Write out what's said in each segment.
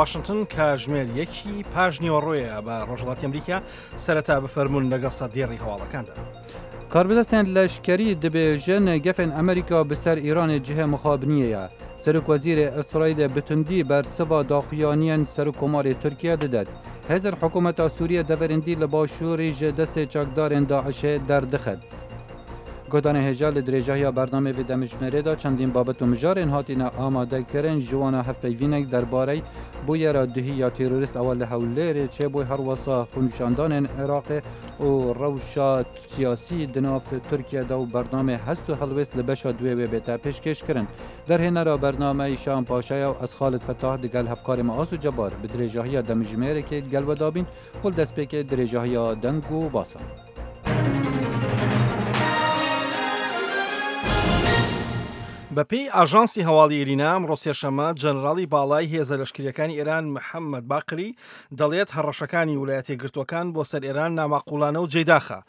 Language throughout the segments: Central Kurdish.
واشنتن کاژمێر یەکی پاش نیوەڕۆیە بە ڕۆژهەڵاتی ئەمریکا سەرەتا بفەرمونون لەگەڵ سەردێڕی هەواڵەکاندا. کاربەدەستێن لەشکەری دبێژن گەفێن ئەمریکا bi ser Îranê cihê mixabiniyê ye. Serokwezîrê Îsraîlê bi tundî bersiva daxuyaniyên Serokkomarê Tirkiye didet. Hêzên hikûmeta Sûriye deverên dî li başûrî ji destê çekdarên DAIŞ'ê derdixin. Guhdanê hêja li dirêjahiya bernameyê vê demjimêrê de çendîn babet û mijarên hatine amadekirin ji wan hevpeyvînek derbarey bûyera duhî ya terorîst ewa li Hewlêrê çêbû her wisa xwenîşandanên Iraqê û rewşa siyasî di nav Tirkiye de û bernameyê hest û helwêst li beşa duê wê bête pêşkêşkirin. Derhênera bernameyê Şahan Paşa ye û ez Xalid Fetah digel hevkarê me Aso Cebar bi dirêjahiya demjimêrekê gel we dabîn û li destpêkê dirêjahiya deng û basan. بەپێی ئاژانسی هەواڵی ئیرینا ئەمڕۆ سێشەممە جەنراڵی باڵای هێزە لەشکریەکانی ئێران محەممەد باقری دەڵێت هەڕەشەکانی ولایەتە یەکگرتووەکان بۆ سەر ئێران ناماقوڵانە و جێداخە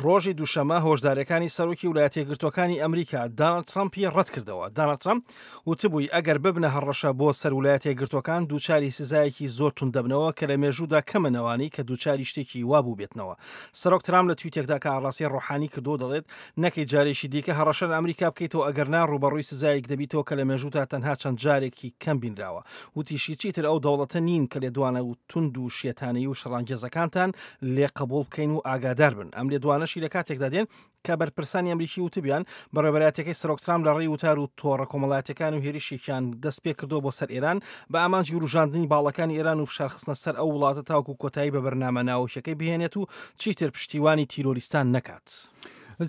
ڕۆژی دووشەمە هۆشداریەکانی سەرۆکی ولایەتە یەکگرتووەکانی ئەمریکا داناڵد ترەمپی ڕەتکردەوە داناڵد ترەمپ وتبووی ئەگەر ببنە هەڕەشە بۆ سەر ولایەتە یەکگرتووەکان دووچاری سزایەکی زۆر توند دەبنەوە کە لە مێژوودا کەمن ئەوانەی کە دووچاری شتێکی وا بووبێتنەوە. سەرۆک ترامپ لە تویتێکدا کە ئاڕاستەی ڕۆحانی کردووە دەڵێت نەکەی جارێکی دیکە هەڕەشە لە ئەمریکا بکەیتەوە ئەگەرنا ڕووبەڕووی سزایەک دەبیتەوە کە لە مێژوودا تەنها چەند جارێکی کەم بینراوە. وتیشی چیتر ئەو دەوڵەتە نین کە لێدوانە توند و شێتانەیی و شەڕانگێزەکانتان لێ قبوڵ بکەین و ئاگادار بن. ئەم لێدوانەشی لە کاتێکدا دێن کە بەرپرسانی ئەمریکی وتبیان بەڕێوەبەرایەتیەکەی سەرۆک ترامپ لە ڕێی وتار و تۆڕە کۆمەڵایەتیەکان و هێرشێکیان دەست پێکردووە بۆ سەر ئێران بە ئامانجی وروژاندنی باڵەکانی ئێران و فشارخستنە سەر ئەو وڵاتە تاوەکو کۆتایی بە بەرنامە ناوەکیەکەی بهێنێت و چیتر پشتیوانی تیرۆریستان نەکات.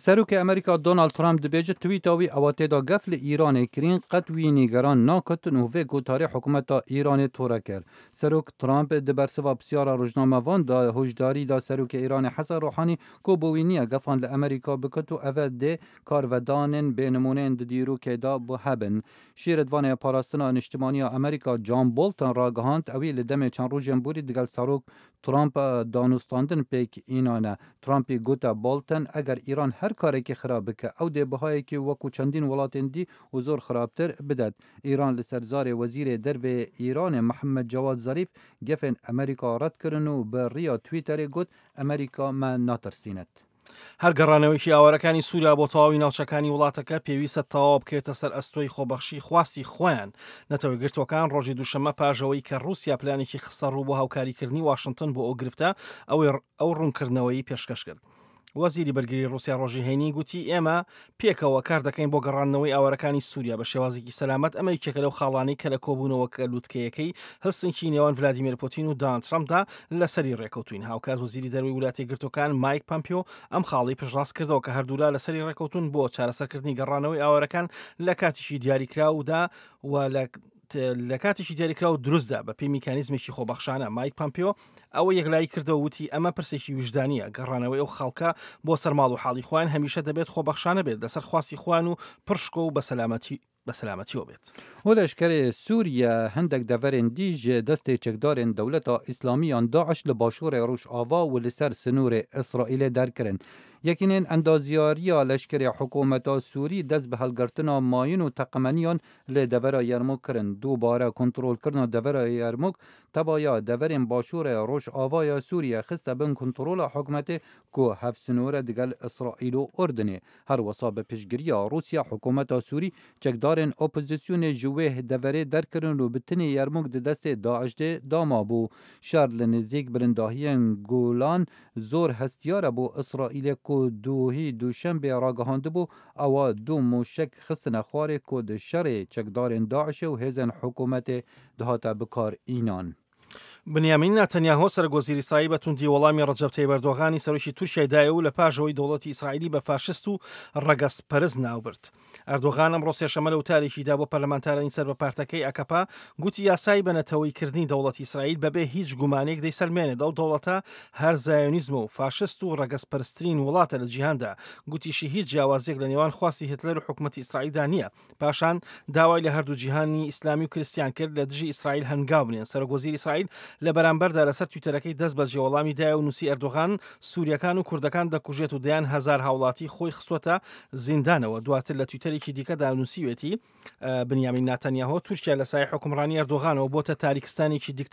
سەرۆکی ئەمریکا دۆناڵد ترامپ دبێژێت تویتا وی ئەوە تێدا گەف لە ئیرانێ کرین قەت وی نیگەران ناکتن و vê gotarê hikûmeta Îranê tore kir. Serok Trump di bersiva pisyara rojnamevan de huşdarî da Serokê Îranê Hesen Ruhanî ku bo wî niye gefan li Amerîka biket û eve dê karvedanên bênimûneyên di dîrokê de bo hebin. Şîretvanê Parastina Niştimanî ya Amerîka John Bolton ragihand ewî li demê çend rojên borî digel Serok Trump danûstandin pêk înane. Trumpî gote Bolton eger Îran her karekî xirab bike ew dê bihayekî wekû çendîn welatên dî û zor xirabtir bidet. Îran li ser zarê Wezîrê Derve yê Îranê Mihemed Cewad Zerîf gefên Amerîka red kirin û bi riya Twitterê got, Amerîka me natirsînet. هەر گەڕانەوەیەکی ئاوارەکانی سووریا بۆ تەواوی ناوچەکانی وڵاتەکە پێویستە تەواو بکەوێتە سەر ئەستۆی خۆبەخشی خواستی خۆیان. نەتەوەیەکگرتووەکان ڕۆژی دووشەممە پاش ئەوەی کە ڕووسیا پلانێکی خستەڕوو بۆ هاوکاریکردنی واشنتن بۆ ئەو گرفتە، ئەوەی ئەو ڕوونکردنەوەی پێشکەش کرد. وەزیری بەرگری ڕووسیا ڕۆژی هەینی گوتی ئێمە پێکەوە کار دەکەین بۆ گەڕاندنەوەی ئاوارەکانی سووریا بە شێوازێکی سەلامەت، ئەمە یەکێکە لەو خاڵانەی کە لە کۆبوونەوەکە لوتکەیەکەی هلسنکی نێوان ڤلادیمێر پوتین و داناڵد ترەمپدا لەسەری ڕێکەوتوین. هاوکات وەزیری دەرەوەی وڵاتە یەکگرتووەکان مایک پەمپیۆ ئەم خاڵەی پشتڕاست کردەوە کە هەردوولا لەسەری ڕێکەوتون بۆ چارەسەرکردنی گەڕانەوەی ئاوارەکان لە کاتێکی دیاریکراودا و لە لە کاتێکی دیاریکراو دروستدا بە پێی میکانیزمێکی خۆبەخشانە. مایک پەمپیۆ ئەوە یەکلایی کردەوە وتی ئەمە پرسێکی ویژدانییە، گەڕانەوەی ئەو خەڵکە بۆ سەر ماڵ و حاڵی خۆیان هەمیشە دەبێت خۆبەخشانە بێت لەسەر خواستی خۆیان و پڕ شکۆ و بە سەلامەتی بە سەلامەتیەوە بێت. و لەشکەرê Sûriye hindek deverên dî ji destê çekdarên Dewleta Îslamî yan DAIŞ li başûrê Rojava û li ser sinorê Îsraîlê derkirin. Yekînên endazyariya leşkerê hikûmeta Sûrî dest bi helgirtina mayin û teqemeniyan li devera Yermûk kirin. Dubare kontrolkirina devera Yermûk tevaya deverên başûrê Rojavaya Sûriye xiste bin kontrola hikûmetê ku hevsinor e digel Îsraîl û Urdunê. Her wisa bi piştgiriya Rûsya hikûmeta Sûrî çekdarên opozisyonê ji wê deverê derkirin û bi tenê Yermûk di destê DAIŞ'ê da mabû. Şer li nêzîk bilindahiyên Golan zor hestiyar e bo Îsraîlê ku duhî Duşembê ragihandibû ewa du moşek xistine xwarê ku di şerê çekdarên DAIŞ'ê û hêzên hikûmetê dihate bikar înan. بنیامین ناتەنیاهۆ سەرۆک وەزیری ئیسرائیل بە توندی وەڵامی ڕەجەب تەیب ئەردۆغانی سەرۆکی تورکیای دایەوە و لە پاش ئەوەی دەوڵەتی ئیسرائیلی بە فاشست و ڕەگەزپەرست ناوبرد. ئەردۆغان ئەمڕۆ سێشەممە لە وتارێکیدا بۆ پەرلەمانتارانی سەر بە پارتەکەی ئەکەپە گوتی یاسای بە نەتەوەییکردنی دەوڵەتی ئیسرائیل بەبێ هیچ گومانێک دەیسەلمێنێت ئەو دەوڵەتە هەر زایۆنیزمە و فاشست و ڕەگەزپەرسترین وڵاتە لە جیهاندا. گوتیشی هیچ جیاوازییەک لە نێوان خواستی هیتلەر و حکومەتی ئیسرائیلدا نییە. پاشان داوای لە هەردوو جیهانی ئیسلامی و کریستیان کرد لە دژی ئیسرائیل هەنگاو بنێن. سەرۆک وەزیری ئیسرائیل لە بەرامبەردا لەسەر تویتەرەکەی دەست بەجێ وەڵامی دایە و نووسی ئەردۆغان سووریەکان و کوردەکان دەکوژێت و دەیان هەزار هاوڵاتی خۆی خستووەتە زیندانەوە. دواتر لە تویتەرێکی دیکەدا نووسیوێتی بنیامین ناتەنیاهۆ تورکیا لە سایەی حوکمڕانی ئەردۆغانەوە بۆتە تاریکستانێکی دیکتاتۆری.